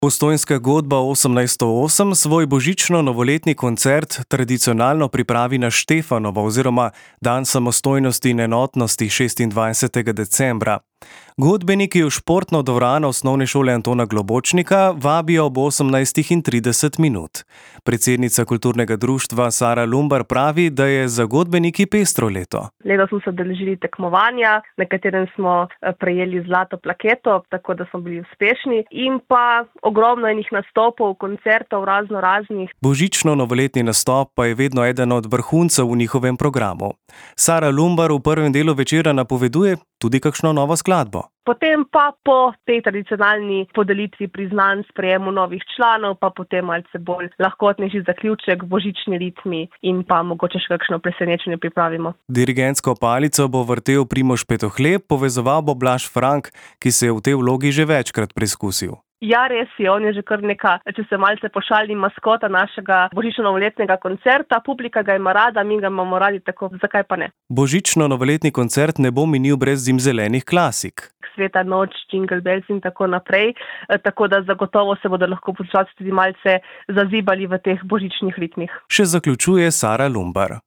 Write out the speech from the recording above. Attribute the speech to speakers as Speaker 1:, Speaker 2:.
Speaker 1: Postojnska godba 1808 svoj božično-novoletni koncert tradicionalno pripravi na Štefanovo oziroma dan samostojnosti in enotnosti 26. decembra. Godbeniki v športno dvorano osnovne šole Antona Globočnika vabijo ob 18:30. Predsednica kulturnega društva Sara Lumbar pravi, da je za godbeniki pestro leto.
Speaker 2: Letos smo se udeležili tekmovanja, na katerem smo prejeli zlato plaketo, tako da smo bili uspešni, in pa ogromno enih nastopov, koncertov raznih.
Speaker 1: Božično-novoletni nastop pa je vedno eden od vrhuncev v njihovem programu. Sara Lumbar v prvem delu večera napoveduje tudi kakšno novo skladbo.
Speaker 2: Potem pa po tej tradicionalni podelitvi priznanj, sprejemu novih članov, pa potem malce bolj lahkotnejši zaključek, božični ritmi in pa mogoče še kakšno presenečenje pripravimo.
Speaker 1: Dirigentsko palico bo vrtel Primož Petohleb, povezoval bo Blaž Frank, ki se je v tej vlogi že večkrat preizkusil.
Speaker 2: Ja, res je, on je že kar neka, če se malce pošalim, maskota našega božično-novoletnega koncerta. Publika ga ima rada, mi ga imamo radi, tako zakaj pa ne.
Speaker 1: Božično-novoletni koncert ne bo minil brez zimzelenih klasik.
Speaker 2: Sveta noč, Jingle Bells in tako naprej, tako da zagotovo se bodo lahko poslušalci tudi malce zazibali v teh božičnih ritmih.
Speaker 1: Še zaključuje Sara Lumbar.